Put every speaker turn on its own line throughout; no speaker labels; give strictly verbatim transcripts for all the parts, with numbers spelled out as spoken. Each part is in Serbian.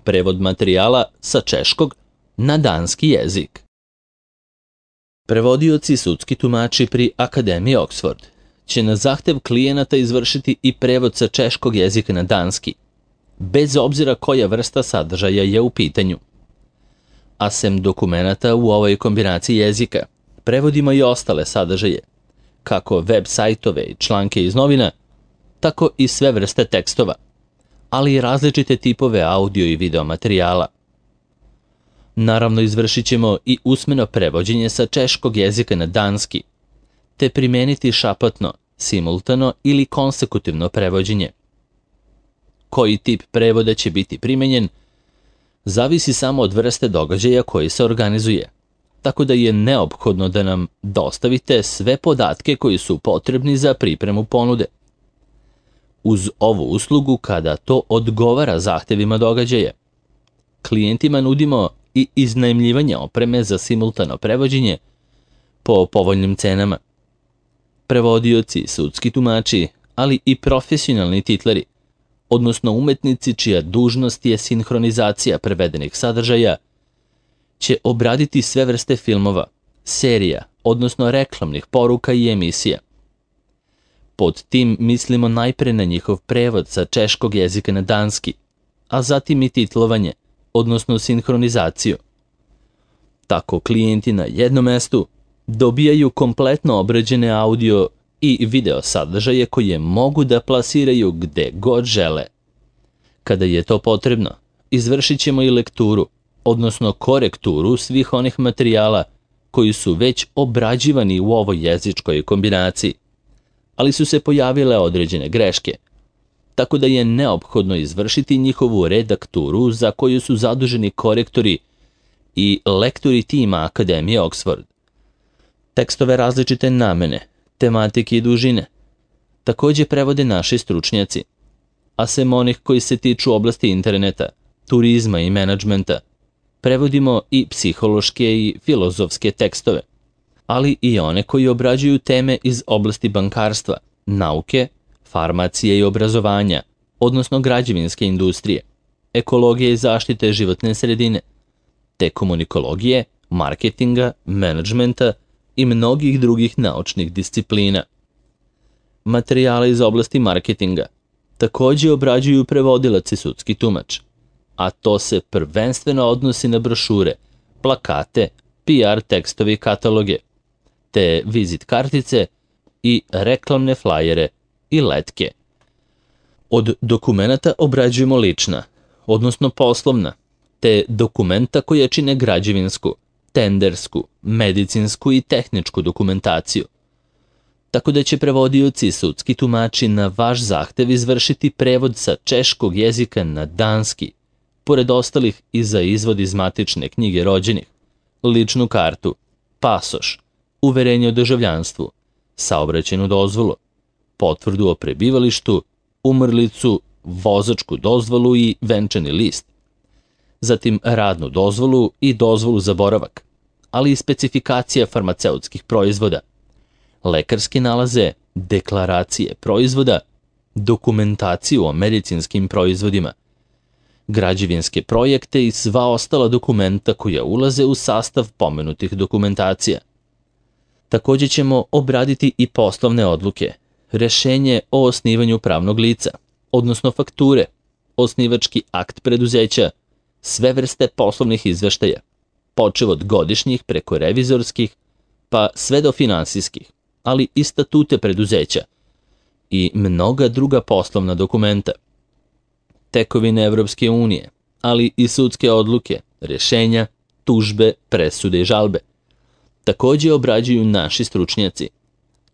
prevod materijala sa češkog na danski jezik. Prevodioci i sudski tumači pri Akademiji Oxford će na zahtev klijenata izvršiti i prevod sa češkog jezika na danski, bez obzira koja vrsta sadržaja je u pitanju. A sem dokumenata u ovoj kombinaciji jezika, prevodimo i ostale sadržaje, kako web sajtove i članke iz novina, tako i sve vrste tekstova, ali i različite tipove audio i video materijala. Naravno, izvršit ćemo i usmeno prevođenje sa češkog jezika na danski, te primeniti šapatno, simultano ili konsekutivno prevođenje. Koji tip prevoda će biti primenjen, zavisi samo od vrste događaja koji se organizuje, tako da je neophodno da nam dostavite sve podatke koji su potrebni za pripremu ponude. Uz ovu uslugu, kada to odgovara zahtevima događaja, klijentima nudimo i iznajmljivanje opreme za simultano prevođenje po povoljnim cenama. Prevodioci, sudski tumači, ali i profesionalni titleri, odnosno umetnici čija dužnost je sinhronizacija prevedenih sadržaja, će obraditi sve vrste filmova, serija, odnosno reklamnih poruka i emisija. Pod tim mislimo najpre na njihov prevod sa češkog jezika na danski, a zatim i titlovanje, odnosno sinhronizaciju. Tako klijenti na jednom mestu dobijaju kompletno obrađene audio i video sadržaje koje mogu da plasiraju gde god žele. Kada je to potrebno, izvršit ćemo i lekturu, odnosno korekturu svih onih materijala koji su već obrađivani u ovoj jezičkoj kombinaciji, ali su se pojavile određene greške, tako da je neophodno izvršiti njihovu redakturu za koju su zaduženi korektori i lektori tima Akademije Oxford. Tekstove različite namene, tematike i dužine također prevode naši stručnjaci, a sem onih koji se tiču oblasti interneta, turizma i menadžmenta, prevodimo i psihološke i filozofske tekstove, ali i one koji obrađuju teme iz oblasti bankarstva, nauke, farmacije i obrazovanja, odnosno građevinske industrije, ekologije i zaštite životne sredine, te komunikologije, marketinga, menadžmenta i mnogih drugih naučnih disciplina. Materijale iz oblasti marketinga također obrađuju prevodilac i sudski tumač, a to se prvenstveno odnosi na brošure, plakate, P R tekstove i kataloge, te vizit kartice i reklamne flajere i letke. Od dokumenata obrađujemo lična, odnosno poslovna, te dokumenta koje čine građevinsku, tendersku, medicinsku i tehničku dokumentaciju. Tako da će prevodioci i sudski tumači na vaš zahtev izvršiti prevod sa češkog jezika na danski, pored ostalih i za izvod iz matične knjige rođenih, ličnu kartu, pasoš, uverenje o državljanstvu, saobraćajnu dozvolu, potvrdu o prebivalištu, umrlicu, vozačku dozvolu i venčani list, zatim radnu dozvolu i dozvolu za boravak, ali i specifikacija farmaceutskih proizvoda, lekarske nalaze, deklaracije proizvoda, dokumentaciju o medicinskim proizvodima, građevinske projekte i sva ostala dokumenta koja ulaze u sastav pomenutih dokumentacija. Također ćemo obraditi i poslovne odluke, rešenje o osnivanju pravnog lica, odnosno fakture, osnivački akt preduzeća, sve vrste poslovnih izveštaja, počev od godišnjih preko revizorskih, pa sve do finansijskih, ali i statute preduzeća i mnoga druga poslovna dokumenta, tekovine Evropske unije, ali i sudske odluke, rešenja, tužbe, presude i žalbe. Također obrađuju naši stručnjaci,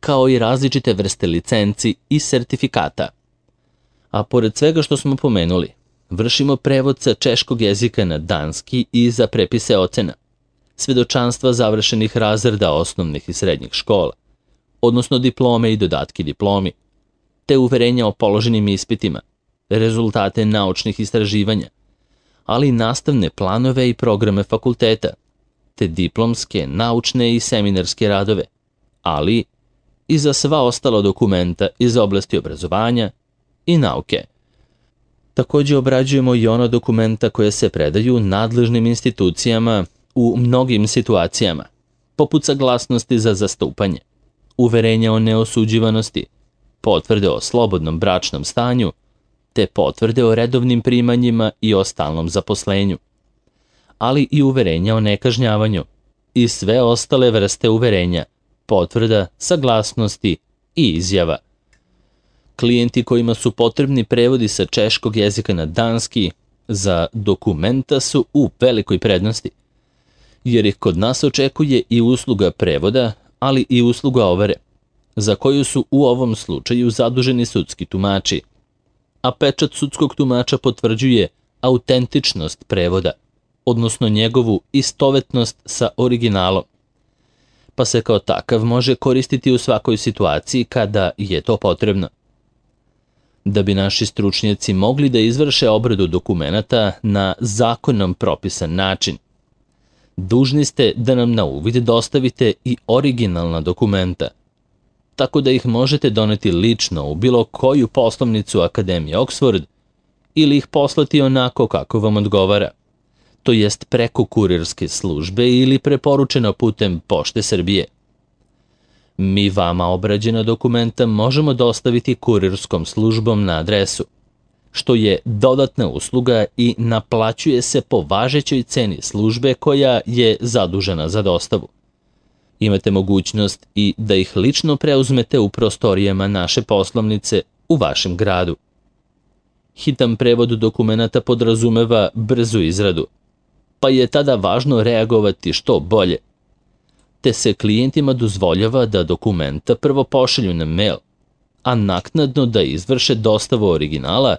kao i različite vrste licenci i sertifikata. A pored svega što smo pomenuli, vršimo prevod sa češkog jezika na danski i za prepise ocena, svedočanstva završenih razreda osnovnih i srednjih škola, odnosno diplome i dodatki diplomi, te uverenja o položenim ispitima, rezultate naučnih istraživanja, ali i nastavne planove i programe fakulteta, te diplomske, naučne i seminarske radove, ali i za sva ostala dokumenta iz oblasti obrazovanja i nauke. Također obrađujemo i ona dokumenta koje se predaju nadležnim institucijama u mnogim situacijama, poput saglasnosti za zastupanje, uverenja o neosuđivanosti, potvrde o slobodnom bračnom stanju, te potvrde o redovnim primanjima i o stalnom zaposlenju, ali i uverenja o nekažnjavanju i sve ostale vrste uverenja, potvrda, saglasnosti i izjava. Klijenti kojima su potrebni prevodi sa češkog jezika na danski za dokumenta su u velikoj prednosti, jer ih kod nas očekuje i usluga prevoda, ali i usluga overe, za koju su u ovom slučaju zaduženi sudski tumači, a pečat sudskog tumača potvrđuje autentičnost prevoda, odnosno njegovu istovetnost sa originalom, pa se kao takav može koristiti u svakoj situaciji kada je to potrebno. Da bi naši stručnjaci mogli da izvrše obradu dokumenata na zakonom propisan način, dužni ste da nam na uvid dostavite i originalna dokumenta, tako da ih možete doneti lično u bilo koju poslovnicu Akademije Oxford ili ih poslati onako kako vam odgovara, to jest preko kurirske službe ili preporučeno putem Pošte Srbije. Mi vama obrađena dokumenta možemo dostaviti kurirskom službom na adresu, što je dodatna usluga i naplaćuje se po važećoj ceni službe koja je zadužena za dostavu. Imate mogućnost i da ih lično preuzmete u prostorijama naše poslovnice u vašem gradu. Hitan prevod dokumenata podrazumeva brzu izradu, pa je tada važno reagovati što bolje, te se klijentima dozvoljava da dokumenta prvo pošalju na mail, a naknadno da izvrše dostavu originala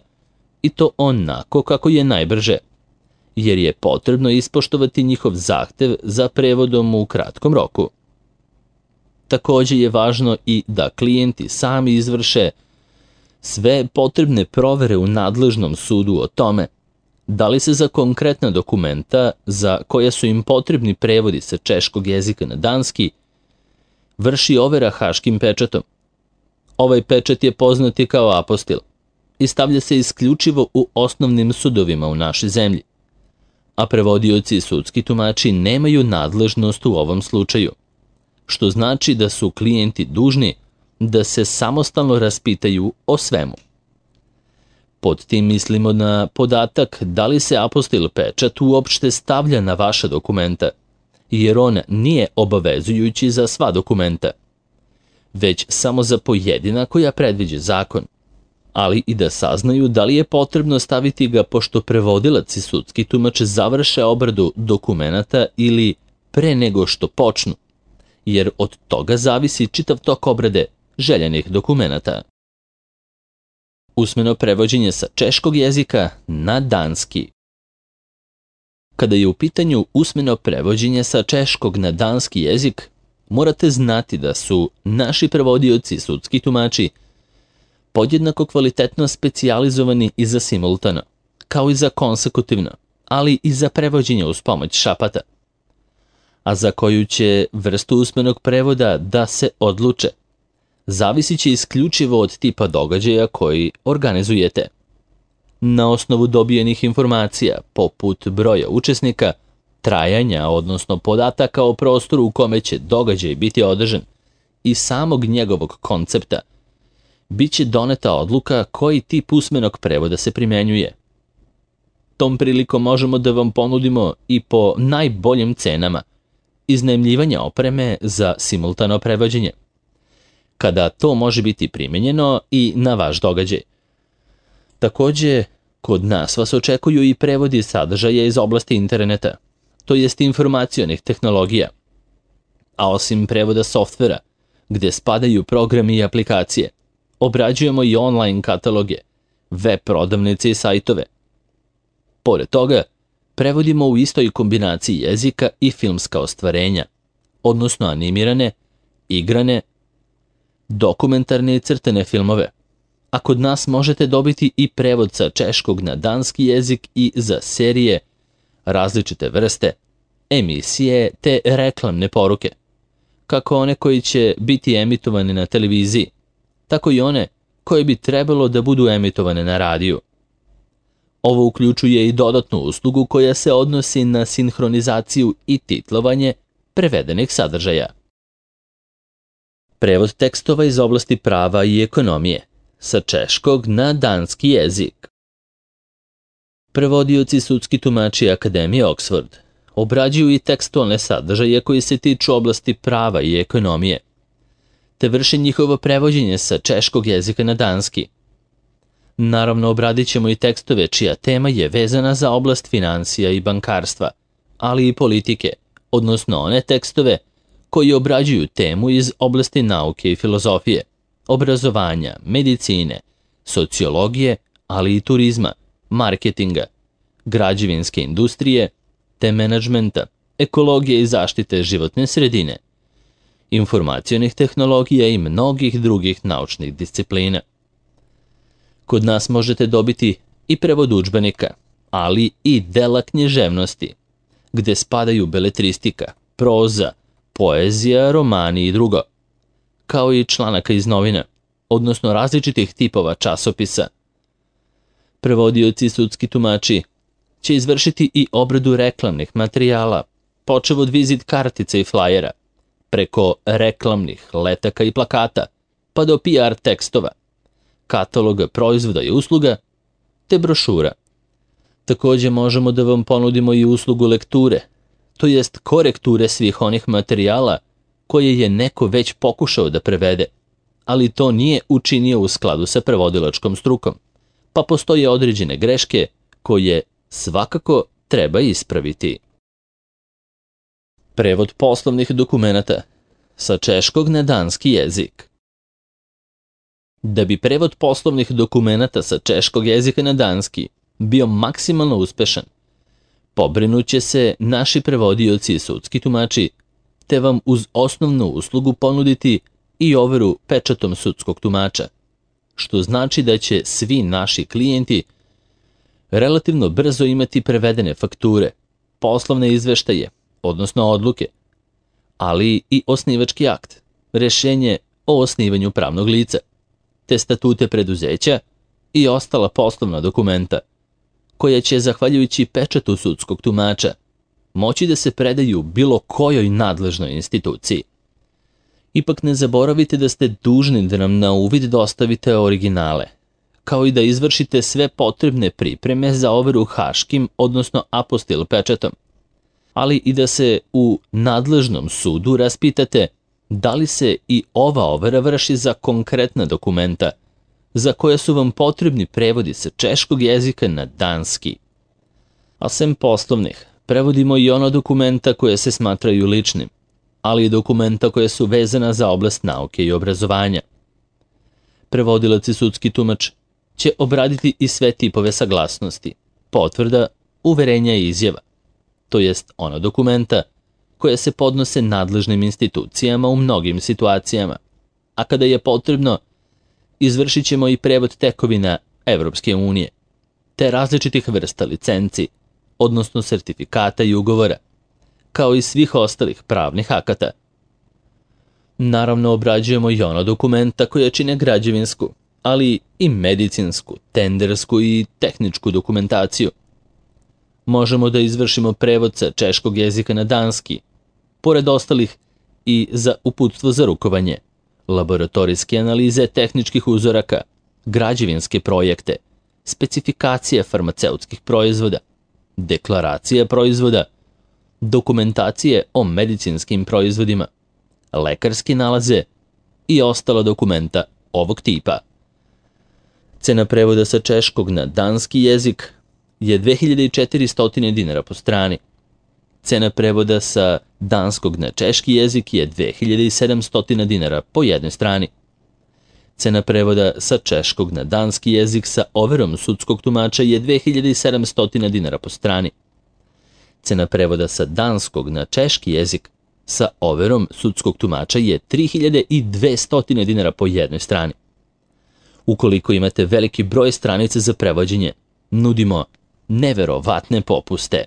i to onako kako je najbrže, jer je potrebno ispoštovati njihov zahtev za prevodom u kratkom roku. Također je važno i da klijenti sami izvrše sve potrebne provere u nadležnom sudu o tome da li se za konkretna dokumenta za koja su im potrebni prevodi sa češkog jezika na danski vrši overa haškim pečatom. Ovaj pečat je poznati kao apostil i stavlja se isključivo u osnovnim sudovima u našoj zemlji, a prevodioci i sudski tumači nemaju nadležnost u ovom slučaju, što znači da su klijenti dužni da se samostalno raspitaju o svemu. Pod tim mislimo na podatak da li se apostil pečat uopšte stavlja na vaša dokumenta, jer on nije obavezujući za sva dokumenta, već samo za pojedina koja predviđa zakon, ali i da saznaju da li je potrebno staviti ga pošto prevodilac i sudski tumač završe obradu dokumenata ili pre nego što počnu, jer od toga zavisi čitav tok obrade željenih dokumenata. Usmeno prevođenje sa češkog jezika na danski. Kada je u pitanju usmeno prevođenje sa češkog na danski jezik, morate znati da su naši prevodioci i sudski tumači podjednako kvalitetno specijalizovani i za simultano, kao i za konsekutivno, ali i za prevođenje uz pomoć šapata. A za koju će vrstu usmenog prevoda da se odluče, zavisit će isključivo od tipa događaja koji organizujete. Na osnovu dobijenih informacija, poput broja učesnika, trajanja, odnosno podataka o prostoru u kome će događaj biti održan i samog njegovog koncepta, bit će doneta odluka koji tip usmenog prevoda se primjenjuje. Tom prilikom možemo da vam ponudimo i po najboljim cenama iznajmljivanja opreme za simultano prevođenje, kada to može biti primjenjeno i na vaš događaj. Također, kod nas vas očekuju i prevodi sadržaja iz oblasti interneta, to jest informacionih tehnologija. A osim prevoda softvera, gdje spadaju programi i aplikacije, obrađujemo i online kataloge, web prodavnice i sajtove. Pored toga, prevodimo u istoj kombinaciji jezika i filmska ostvarenja, odnosno animirane, igrane, dokumentarne i crtene filmove, a kod nas možete dobiti i prevod sa češkog na danski jezik i za serije, različite vrste, emisije te reklamne poruke, kako one koji će biti emitovane na televiziji, tako i one koje bi trebalo da budu emitovane na radiju. Ovo uključuje i dodatnu uslugu koja se odnosi na sinhronizaciju i titlovanje prevedenih sadržaja. Prevod tekstova iz oblasti prava i ekonomije sa češkog na danski jezik. Prevodioci sudski tumači Akademije Oxford obrađuju i tekstualne sadržaje koji se tiču oblasti prava i ekonomije, te vrši njihovo prevođenje sa češkog jezika na danski. Naravno, obradit ćemo i tekstove čija tema je vezana za oblast financija i bankarstva, ali i politike, odnosno one tekstove koji obrađuju temu iz oblasti nauke i filozofije, obrazovanja, medicine, sociologije, ali i turizma, marketinga, građevinske industrije, te menadžmenta, ekologije i zaštite životne sredine, informacionih tehnologija i mnogih drugih naučnih disciplina. Kod nas možete dobiti i prevod udžbenika, ali i dela književnosti, gde spadaju beletristika, proza, poezija, romani i drugo, kao i članaka iz novina, odnosno različitih tipova časopisa. Prevodioci sudski tumači će izvršiti i obradu reklamnih materijala, počev od vizit kartica i flajera, preko reklamnih letaka i plakata, pa do P R tekstova, kataloga proizvoda i usluga, te brošura. Takođe možemo da vam ponudimo i uslugu lekture, to jest korekture svih onih materijala koje je neko već pokušao da prevede, ali to nije učinio u skladu sa prevodilačkom strukom, pa postoje određene greške koje svakako treba ispraviti. Prevod poslovnih dokumenata sa češkog na danski jezik. Da bi prevod poslovnih dokumenata sa češkog jezika na danski bio maksimalno uspešan, pobrinuće se naši prevodioci i sudski tumači, te vam uz osnovnu uslugu ponuditi i overu pečatom sudskog tumača, što znači da će svi naši klijenti relativno brzo imati prevedene fakture, poslovne izveštaje, odnosno odluke, ali i osnivački akt, rešenje o osnivanju pravnog lica, te statute preduzeća i ostala poslovna dokumenta, koja će, zahvaljujući pečatu sudskog tumača, moći da se predaju bilo kojoj nadležnoj instituciji. Ipak ne zaboravite da ste dužni da nam na uvid dostavite originale, kao i da izvršite sve potrebne pripreme za overu haškim, odnosno apostil pečatom, ali i da se u nadležnom sudu raspitate da li se i ova overa vrši za konkretna dokumenta, za koja su vam potrebni prevodi sa češkog jezika na danski. A sem poslovnih, prevodimo i ono dokumenta koje se smatraju ličnim, ali i dokumenta koje su vezana za oblast nauke i obrazovanja. Prevodilac i sudski tumač će obraditi i sve tipove saglasnosti, potvrda, uverenja i izjava, to jest ona dokumenta koje se podnose nadležnim institucijama u mnogim situacijama, a kada je potrebno, izvršit ćemo i prevod tekovina Evropske unije, te različitih vrsta licenci, odnosno sertifikata i ugovora, kao i svih ostalih pravnih akata. Naravno, obrađujemo i ono dokumenta koje čine građevinsku, ali i medicinsku, tendersku i tehničku dokumentaciju. Možemo da izvršimo prevod sa češkog jezika na danski, pored ostalih i za uputstvo za rukovanje, laboratorijske analize tehničkih uzoraka, građevinske projekte, specifikacije farmaceutskih proizvoda, deklaracije proizvoda, dokumentacije o medicinskim proizvodima, lekarske nalaze i ostala dokumenta ovog tipa. Cena prevoda sa češkog na danski jezik je dve hiljade četiristo dinara po strani. Cena prevoda sa danskog na češki jezik je dve hiljade sedamsto dinara po jednoj strani. Cena prevoda sa češkog na danski jezik sa overom sudskog tumača je dve hiljade sedamsto dinara po strani. Cena prevoda sa danskog na češki jezik sa overom sudskog tumača je tri hiljade dvesta dinara po jednoj strani. Ukoliko imate veliki broj stranica za prevođenje, nudimo neverovatne popuste.